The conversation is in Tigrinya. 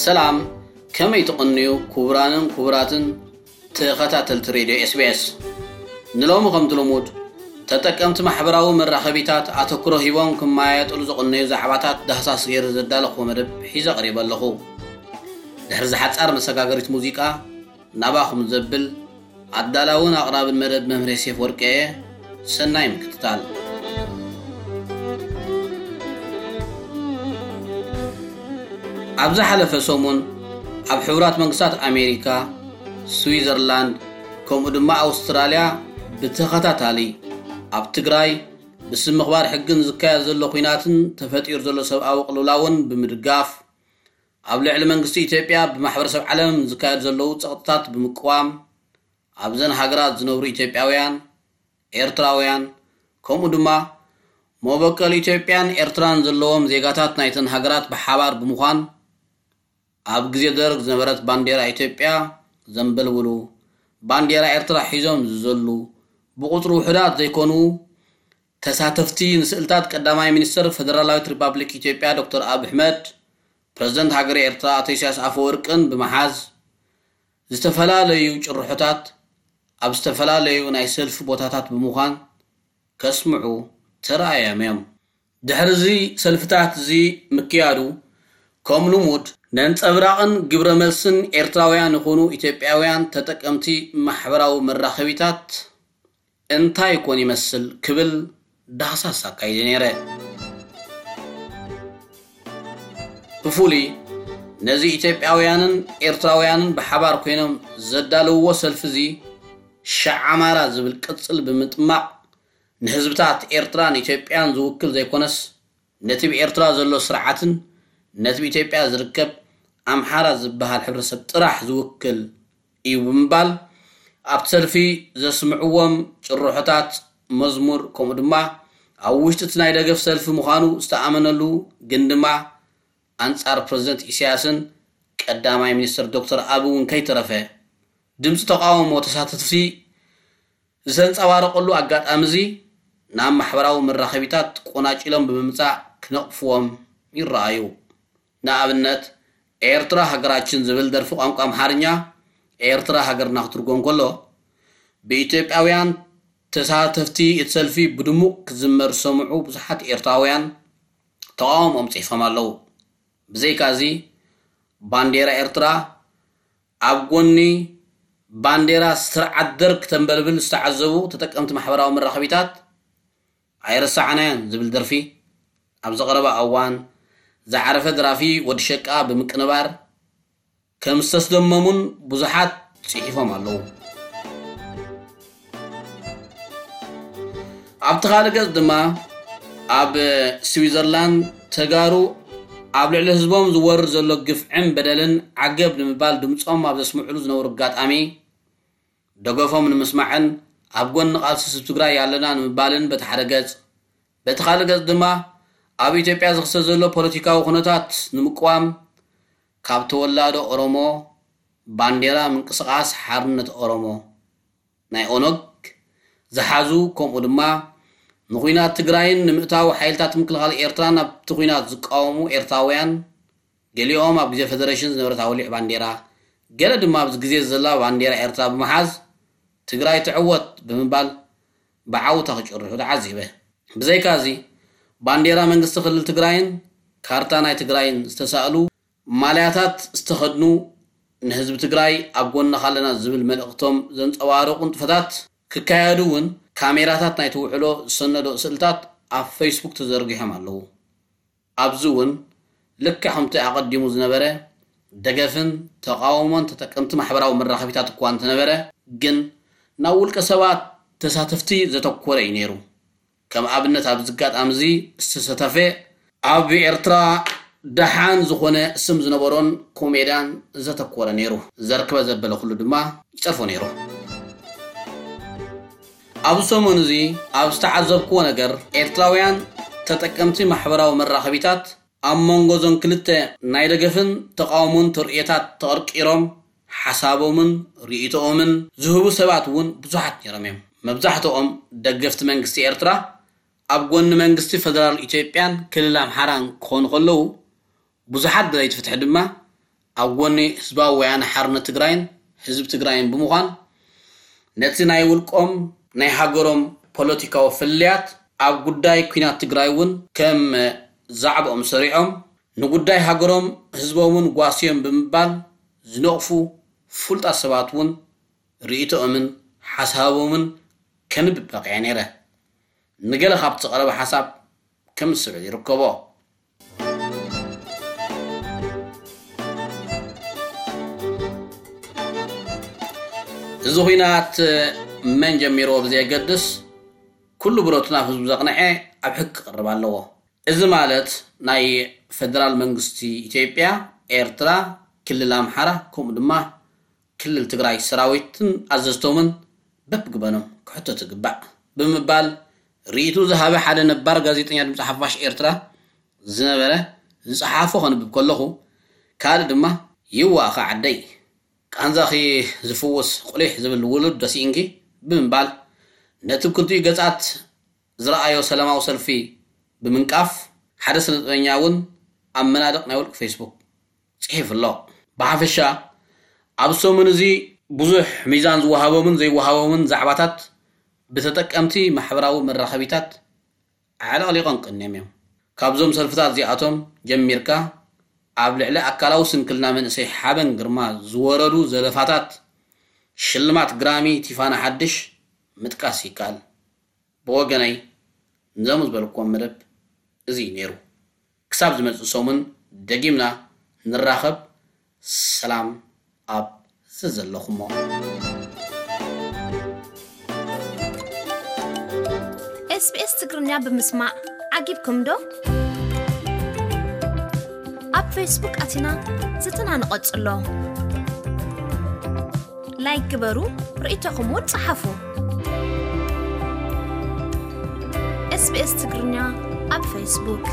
ሰላም፣ ከመይ ትቕንዩ ክቡራንን ክቡራትን ተኸታተልቲ ሬድዮ ኤስቢኤስ? ንሎሚ ከምቲ ልሙድ ተጠቀምቲ ማሕበራዊ መራኸቢታት ኣተኩሮ ሂቦም ክመያየጥሉ ዝቕነዩ ዛዕባታት ዳህሳስ ገይረ ዘዳለኹዎ መደብ ሒዘ ቀሪበ ኣለኹ። ድሕሪ ዝሓጻር መሰጋገሪት ሙዚቃ ናባኹም ዘብል ኣዳላውን ኣቕራብን መደብ መምህር ዮሴፍ ወርቄ እየ። ሰናይ ምክትታል። ኣብ ዝሓለፈ ሰሙን ኣብ ሕቡራት መንግስታት ኣሜሪካ፣ ስዊዘርላንድ ከምኡ ድማ ኣውስትራልያ ብተኸታታሊ ኣብ ትግራይ ብስም ምኽባር ሕግን ዝካየድ ዘሎ ኲናትን ተፈጢሩ ዘሎ ሰብኣዊ ቅልውላውን ብምድጋፍ ኣብ ልዕሊ መንግስቲ ኢትዮጵያ ብማሕበረሰብ ዓለም ዝካየዱ ዘለዉ ጸቕጥታት ብምቅዋም ኣብዘን ሃገራት ዝነብሩ ኢትዮጵያውያን፣ ኤርትራውያን ከምኡ ድማ መበቀል ኢትዮጵያን ኤርትራን ዘለዎም ዜጋታት ናይተን ሃገራት ብሓባር ብምዃን ኣብ ግዜ ደርግ ዝነበረት ባንዴራ ኢትዮጵያ ዘንበልብሉ፣ ባንዴራ ኤርትራ ሒዞም ዝዘሉ ብቁጽሪ ውሑዳት ዘይኮኑ ተሳተፍቲ ንስእልታት ቀዳማይ ሚኒስትር ፈደራላዊት ሪፓብሊክ ኢትዮጵያ ዶክተር ኣብይ ኣሕመድ፣ ፕረዚደንት ሃገረ ኤርትራ ኣቶ ኢሳያስ ኣፈወርቅን ብምሓዝ ዝተፈላለዩ ጭርሖታት ኣብ ዝተፈላለዩ ናይ ሰልፊ ቦታታት ብምዃን ከስምዑ ተራእዮም እዮም። ድሕሪ እዚ ሰልፍታት እዚ ምክያዱ ከም ልሙድ ነንጸብራቕን ግብረ መልስን ኤርትራውያን ይኹኑ ኢትዮጵያውያን ተጠቀምቲ ማሕበራዊ መራኸቢታት እንታይ ኮን ይመስል ክብል ዳህሳስ ኣካይደ ነይረ። ብፍሉይ ነዚ ኢትዮጵያውያንን ኤርትራውያንን ብሓባር ኮይኖም ዘዳለውዎ ሰልፊ እዚ ሸዓ ኣማራ ዝብል ቅጽል ብምጥማቕ ንህዝብታት ኤርትራን ኢትዮጵያን ዝውክል ዘይኮነስ ነቲ ብኤርትራ ዘሎ ስርዓትን ነቲ ብኢትዮጵያ ዝርከብ ኣምሓራ ዝበሃል ሕብረተሰብ ጥራሕ ዝውክል እዩ ብምባል ኣብቲ ሰልፊ ዘስምዕዎም ጭርሖታት መዝሙር ከምኡ ድማ ኣብ ውሽጢ እቲ ናይ ደገፍ ሰልፊ ምዃኑ ዝተኣመነሉ ግን ድማ ኣንጻር ፕረዚደንት ኢሳያስን ቀዳማይ ሚኒስትር ዶክተር ኣቢ እውን ከይተረፈ ድምፂ ተቃውሞ ተሳተፍቲ ዝተንጸባረቐሉ ኣጋጣሚ እዚ ናብ ማሕበራዊ መራኸቢታት ቆናጭሎም ብምምጻእ ክነቕፍዎም ይረኣዩ። ንኣብነት ኤርትራ ሃገራችን ዝብል ደርፊ ቋንቋ ኣምሓርኛ ኤርትራ ሃገርና ክትርጎም ከሎ ብኢትዮጵያውያን ተሳተፍቲ እቲ ሰልፊ ብድሙቕ ክዝመር ዝሰምዑ ብዙሓት ኤርትራውያን ተቓውሞኦም ጽሒፎም ኣለዉ። ብዘይካዚ ባንዴራ ኤርትራ ኣብ ጎኒ ባንዴራ ስርዓት ደርግ ተንበልብል ዝተዓዘቡ ተጠቀምቲ ማሕበራዊ መራኸቢታት ኣይረሳዕናዮን ዝብል ደርፊ ኣብ ዝቐረበ እዋን ዝዓረፈ ደራፊ ወዲ ሸቃ ብምቅንባር ከም ዝተስደመሙን ብዙሓት ጽሒፎም ኣለዉ። ኣብቲ ካልእ ገጽ ድማ ኣብ ስዊዘርላንድ ተጋሩ ኣብ ልዕሊ ህዝቦም ዝወርድ ዘሎ ግፍዕን በደልን ዓገብ ንምባል ድምጾም ኣብ ዘስምዕሉ ዝነበሩ ኣጋጣሚ ደገፎም ንምስማዕን ኣብ ጎኒ ቃልሲ ህዝቢ ትግራይ ኣለና ንምባልን በቲ ሓደ ገጽ፣ በቲ ካልእ ገጽ ድማ ኣብ ኢትዮጵያ ዝኽሰት ዘሎ ፖለቲካዊ ኩነታት ንምቅዋም ካብ ተወላዶ ኦሮሞ ባንዴራ ምንቅስቃስ ሓርነት ኦሮሞ ናይ ኦነግ ዝሓዙ ከምኡ ድማ ንኹናት ትግራይን ንምእታው ሓይልታት ምክልኻል ኤርትራ ናብቲ ኹናት ዝቃወሙ ኤርትራውያን ገሊኦም ኣብ ግዜ ፈደረሽን ዝነበረት ኣወሊዕ ባንዴራ ገለ ድማ ኣብዚ ግዜ ዘላ ባንዴራ ኤርትራ ብምሓዝ ትግራይ ትዕወት ብምባል ብዓውታ ክጭርሑ ተዓዚበ። ብዘይካዚ ባንዴራ መንግስቲ ክልል ትግራይን ካርታ ናይ ትግራይን ዝተሳእሉ ማልያታት ዝተኸድኑ ንህዝቢ ትግራይ ኣብ ጎንኻ ኣለና ዝብል መልእኽቶም ዘንፀባርቑ ንጥፈታት ክካየዱ እውን ካሜራታት ናይቲ ውዕሎ ዝሰነዶ ስእልታት ኣብ ፌስቡክ ተዘርጊሖም ኣለዉ። ኣብዚ እውን ልክዕ ከምቲ ኣቐዲሙ ዝነበረ ደገፍን ተቓውሞን ተጠቀምቲ ማሕበራዊ መራኸቢታት እኳ እንተነበረ ግን ናብ ውልቀ ሰባት ተሳተፍቲ ዘተኮረ እዩ ነይሩ። ከም ኣብነት ኣብዚ ኣጋጣሚ እዚ ዝተሰተፈ ኣብ ኤርትራ ደሓን ዝኾነ ስም ዝነበሮን ኮሜድያን ዘተኮረ ነይሩ። ዘርክበ ዘበለ ኩሉ ድማ ይጸርፎ ነይሩ። ኣብዚ ሰሙን እዚ ኣብ ዝተዓዘብክዎ ነገር ኤርትራውያን ተጠቀምቲ ማሕበራዊ መራኸቢታት ኣብ መንጎ እዞን ክልተ ናይ ደገፍን ተቓውሞን ተርእዮታት ተቐርቂሮም ሓሳቦምን ርእይቶኦምን ዝህቡ ሰባት እውን ብዙሓት ነይሮም እዮም። መብዛሕትኦም ደገፍቲ መንግስቲ ኤርትራ ኣብ ጎኒ መንግስቲ ፈደራል ኢትዮጵያን ክልል ኣምሓራን ክኾኑ ከለዉ ብዙሓት ደለይቲ ፍትሒ ድማ ኣብ ጎኒ ህዝባዊ ወያነ ሓርነት ትግራይን ህዝቢ ትግራይን ብምዃን፣ ነቲ ናይ ውልቆም ናይ ሃገሮም ፖለቲካዊ ፍልልያት ኣብ ጉዳይ ኲናት ትግራይ እውን ከም ዛዕባኦም ሰሪዖም፣ ንጉዳይ ሃገሮም ህዝቦምን ጓስዮም ብምባል ዝነቕፉ ፍሉጣት ሰባት እውን ርእይቶኦምን ሓሳቦምን ከንብብ በቒዐ ነይረ። ንገለ ካብቲ ዝቐረበ ሓሳብ ከም ዝስዕብ ይርከቦ። እዚ ኹናት መን ጀሚርዎ ብዘየገድስ፣ ኩሉ ብረቱ ናብ ህዝቡ ዘቕንዐ ኣብ ሕጊ ክቕርብ ኣለዎ። እዚ ማለት ናይ ፌደራል መንግስቲ ኢትዮጵያ፣ ኤርትራ፣ ክልል ኣምሓራ፣ ከምኡ ድማ ክልል ትግራይ ሰራዊትን ኣዘዝቶምን በብግበኖም ክሕተቱ ይግባእ ብምባል ርእይቱ ዝሃበ ሓደ ነባር ጋዜጠኛ ድምፂ ሓፋሽ ኤርትራ ዝነበረ ዝፀሓፎ ከንብብ ከለኹ፣ ካልእ ድማ ይዋእኻ ዓደይ፣ ቃንዛኺ ዝፍውስ ቁሊሕ ዝብል ውሉድ ደሲእንኪ ብምባል ነቲ ክልቲኡ ገጻት ዝረኣዮ ሰላማዊ ሰልፊ ብምንቃፍ፣ ሓደ ስነጥበበኛ እውን ኣብ መናድቕ ናይ ውልቂ ፌስቡክ ጽሒፉ ኣሎ። ብሓፈሻ፣ ኣብ ሰሙን እዚ ብዙሕ ሚዛን ዝወሃቦምን ዘይወሃቦምን ዛዕባታት ብተጠቀምቲ ማሕበራዊ መራኸቢታት ኣዕለቕሊቖም ቀንዮም እዮም። ካብዞም ሰልፍታት እዚኣቶም ጀሚርካ፣ ኣብ ልዕሊ ኣካላዊ ስንክልና መንእሰይ ሓበን ግርማ ዝወረዱ ዘለፋታት ሽልማት ግራሚ ቲፋና ሓድሽ ምጥቃስ ይከኣል። ብወገነይ፣ ንዞም ዝበልኩዎም መደብ እዚ እዩ ነይሩ። ክሳብ ዝመጽእ ሰሙን ደጊምና ንራኸብ። ሰላም ኣብ ዘዘለኹሞ። ኤስቢኤስ ትግርኛ ብምስማዕ ዓጊብኩም ዶ? ኣብ ፌስቡክ ኣቲና ዝትና ንቐጽሎ። ላይክ ግበሩ፣ ርእይቶኹም እውን ጸሓፉ። ኤስቢኤስ ትግርኛ ኣብ ፌስቡክ።